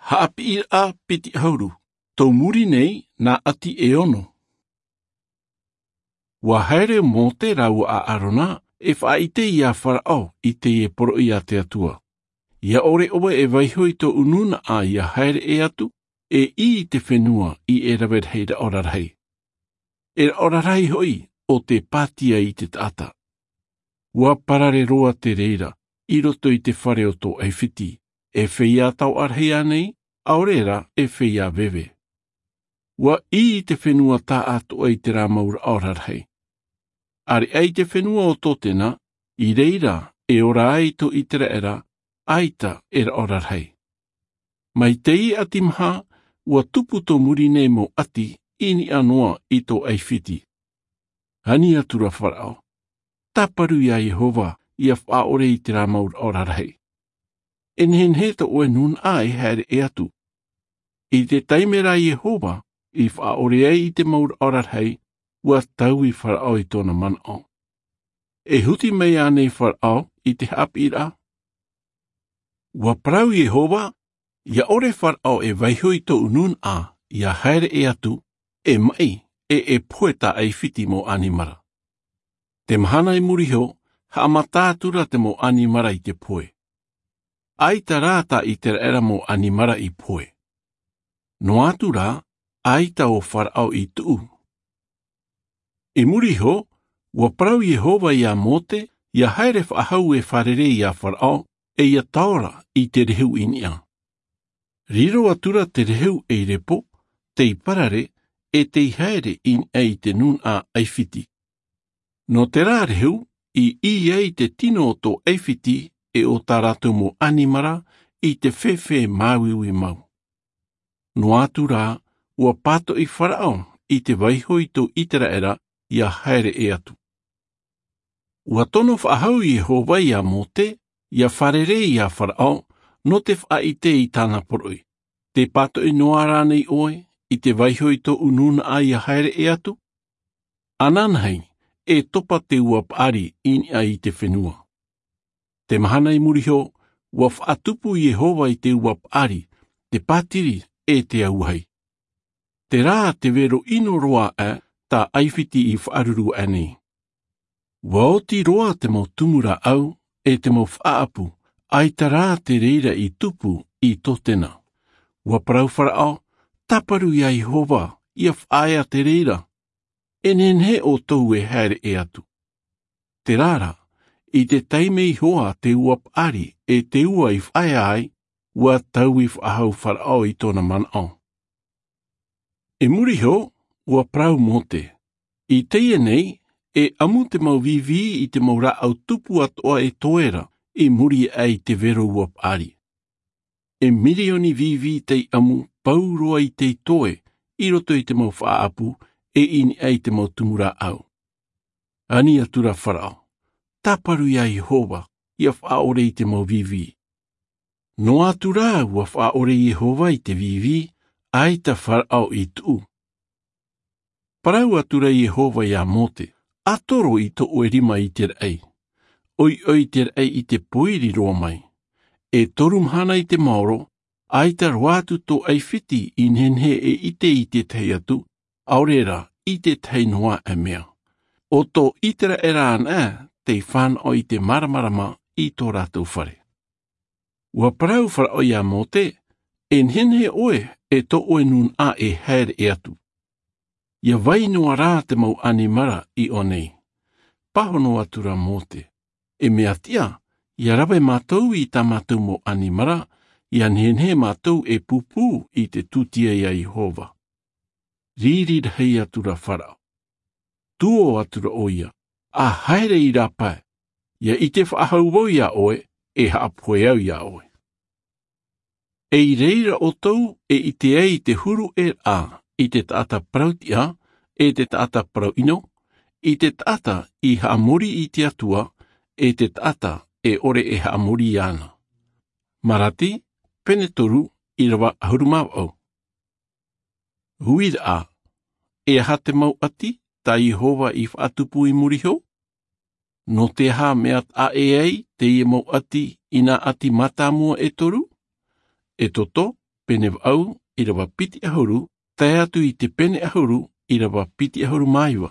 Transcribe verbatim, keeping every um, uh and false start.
Haʻapiʻiraʻa piti ʻahuru. Tō muri nei nā ʻati e ono. Ua haere ʻo mōte rāua ʻo ʻārona e faʻaʻite iā faraʻo i teie poroʻi a te atua. Ia ʻore ʻoe e vaiho i tōʻu nūnaʻa ia haere ʻē atu, e ʻī i te fenua i e rave rahi raʻo rarahi, e raʻo rarahi hoʻi o te pātia i te taʻata. Ua parare roa te reira i roto i te fare o tō ʻaifiti, e feiā taoʻa rahi ānei? ʻAore rā, e feiā veve. Ua ʻī i te fenua taʻatoʻa i te rā mau raʻo rarahi. ʻAreʻa i te fenua o tōtena, i reira e ora ai tō iteraera, ʻaita e raʻo rarahi. Mai teie ʻati maha, ua tupu tō muri nei mau ʻati i niʻa noa i tō ʻaifiti. Ani atu rā faraʻo, tāparu iā iehova ia faʻaʻore i te rā mau raʻo rarahi. E nehenehe tō ʻoe nūnaʻa e haere ʻē atu. I te taime rā iehova i faʻaʻore ai i te mau raʻo rarahi, ua taui faraʻo i tōna manaʻo. E huti mai ānei faraʻo i te haʻapiʻiraʻa? Ua parau iehova, ia ʻore faraʻo e vaiho i tōʻu nūnaʻa ia haere ʻē atu, e maʻi, e e pohe tā ʻaifiti mau ʻanimara. Te mahana i muri iho, haʻamata atu rā te mau ʻanimara i te pohe. ʻAita rā tā iteraera mau ʻanimara i pohe. Noa atu rā, ʻaita ʻo faraʻo i tuʻu. I muri iho, ua parau iehova iā mōte ia haere faʻahou e fārerei iā faraʻo, e ia taora i te rehu i niʻa. Riro atu rā te rehu ei repo, tei parare, e tei haere i niʻa i te nūnaʻa ʻaifiti. Nō te rā rehu i ʻī ai te tino o tō ʻaifiti, e o tā rātou mau ʻanimara i te fēfē māuiui mau. Noa atu rā, ua pātoʻi faraʻo i te vaiho i tō iteraera ia haere ʻē atu. Ua tono faʻahou iehova iā mōte ia fārerei iā faraʻo, nō te faʻaʻite i tāna poroʻi, te pātoʻi noa rānei ʻoe i te vaiho i tōʻu nūnaʻa ia haere ʻē atu? Ananahi, e topa te ua paʻari i niʻa i te fenua. Te mahana i muri iho, ua faʻatupu iehova i te ua paʻari, te pātiri, e te auahi. Terā te vero ʻino roa aʻe tā ʻaifiti i faʻaruru aʻe nei. Ua oti roa te mau tumu rāʻau, e te mau faʻaʻapu, ʻaita rā te reira i tupu i tōtena. Ua parau faraʻo, tāparu iā iehova ia faʻaea te reira. E nehenehe ʻoutou e haere ʻē atu. Terā rā, i te taime iho a te ua paʻari e te ua i faʻaea ai, ua taui faʻahou faraʻo i tōna manaʻo. I muri iho, ua parau mōte, i teie nei, e ʻamu te mau vīvī i te mau rāʻau tupu atoʻa e toe ra i muri aʻe i te vero ua paʻari. E mirioni vīvī tei ʻamu, pauroa i tei toe i roto i te mau faʻaʻapu, e i niʻa i te mau tumu rāʻau. Ani atu rā faraʻo, tāparu iā iehova ia faʻaʻore i te mau vīvī. Noa atu rā ua faʻaʻore iehova i te vīvī, ʻaita faraʻo i tuʻu. Parau atu rā iehova iā mōte, ʻatoro i tō ʻoe rima i te raʻi. ʻOiʻoi te raʻi i te pōiri roa mai. E toru mahana i te maoro, ʻaita roa atu tō ʻaifiti i nehenehe e ʻite i tētahi atu, ʻaore rā i tētahi noa aʻe mea. ʻO tō iteraera anaʻe tei fānaʻo i te māramarama i tō rātou fare. Ua parau faraʻo iā mōte, e nehenehe ʻoe e tō ʻoe nūnaʻa e haere ʻē atu. Ia vai noa rā te mau ʻanimara i ʻō nei. Pāhono atu rā mōte, e mea tiʻa, ia rave mātou i tā mātou mau ʻanimara, ia nehenehe mātou e pūpū i te tūtia iā iehova. Riri rahi atu rā faraʻo. Tuō atu rā ʻoia, a haere i rāpae. Ia ʻite faʻahou vau iā ʻoe, e haʻapohe au iā ʻoe. E i reira ʻoutou e ʻite ai i te huru ʻē raʻa i te taʻata parau tiʻa, e te taʻata parau ʻino, i te taʻata i haʻamori i te atua, e te taʻata e ʻore e haʻamori iāna. Marati pene toru, irava ʻahuru mā vaʻu. Uiraʻa. E aha te mau ʻati tā iehova i faʻatupu i muri iho? Nō te aha mea taʻa ʻē ai teie mau ʻati i nā ʻati mātāmua e toru? Exodo pene vaʻu ʻīrava piti ʻahuru, tae atu i te pene ʻahuru ʻīrava piti ʻahuru mā iva.